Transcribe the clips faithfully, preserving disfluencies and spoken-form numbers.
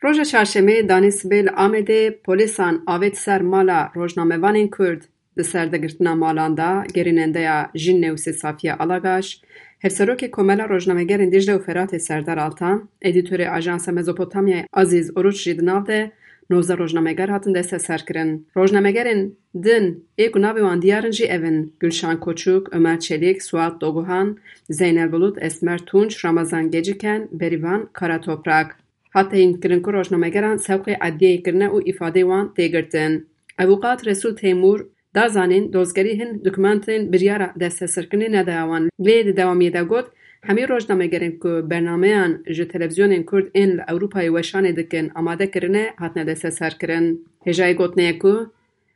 Roja çarşemê danê sibê li Amedê polîsan avêt ser mala rojnamevanên Kurd. Di serdegirtina malan de gerînendeya Jîn Newsê Safiye Alagaş, Hevserokê Komela Rojnamegerên Dîcle û Feratê Serdar Altan, edîtorê Ajansa Mezopotamyayê Azîz Oruç jî di nav de nozdeh rojnameger hatin desteserkirin. Rojnamegerên din ê ku navê wan diyar in jî ev in: Gulşan Koçuk, Ömer Çelik, Suat Doguhan, Zeynel Bulut, Esmer Tunç, Ramazan Geciken, Berivan Karatoprak. Hat teyînkirin ku rojnamegeran sewqê edliyeyê kirine û îfadeyê wan tê girtin. Avûkat Resul Teymur da zanîn, dozgerî hin dokumentên biryara desteserkirinê nedaya wan, lê di dewamiyê de got, hemî rojnamegerên ku bernameyan ji televîzyonên Kurd ên li Ewropayê weşanê dikin amade kirine, hatine desteserkirin. Hêjayî gotinê ye ku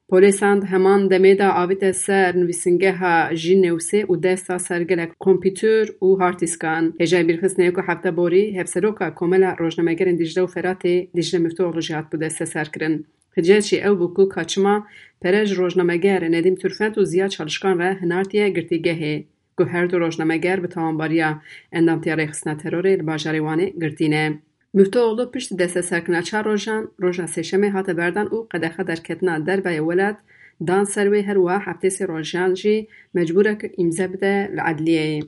polîsan di heman demê de avête ser nivîsingeha Jîn Newsê û dest da ser gelek kompîtur û hardîskan. Hêjayî bîrxistinê ye ku hefte borî hevseroka Komela Rojnamegerên Dîcle û Feratê Dîcle Miftûoğlu jî hatibû desteserkirin. Hicet jî ew bû ku ka çima pere ji rojnameger Nedîm Turfent û Ziya Çalışkan re hinartiye girtîgehê, ku her du rojnameger bi tawanbariya endamtiya rêxistina terorê li bajarê Wanê girtî ne. Miftûoğlu piştî desteserkirina çar rojan, roja sêşemê hate berdan û qedexe derketina derveyê welat dan ser wê, her wiha heftê sê rojan jî mecbûr e ku îmze bide li edliyeyê.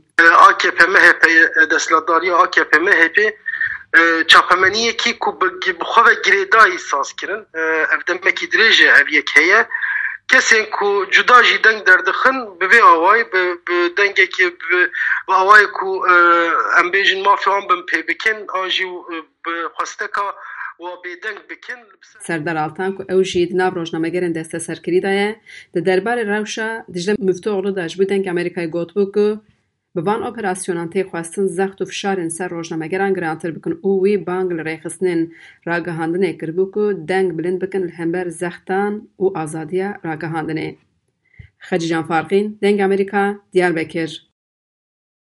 A K P M H P, desthilatdariya A K P M H P, e, çapemeniyekî ku bi, bi xwe ve girêdayî saz kirin. E, ev demekî dirêj e ev yek heye. Kesên ku cuda jî deng derdixin, bi vê awayî, bi, bi dengekî, bi, bi awayê ku, e, em bêjin mafê wan bin pê bikin, an jî, e, bi xwesteka wa bêdeng bikin. Serdar Altan ku ew jî di nav rojnamegerên desteserkirî de ye, di derbarê rewşa Dicle Miftûoğlu de ji bo Dengê Amerîkayê gotibû ku bi van operasyonan tê xwestin zext û fişarên ser rojnamegeran girantir bikin û wî bang li rêxistinên ragihandinê kiribû ku deng bilind bikin li hember zextan û azadiya ragihandinê. Xecîcan Farqîn, Dengê Amerîka, Diyarbekir.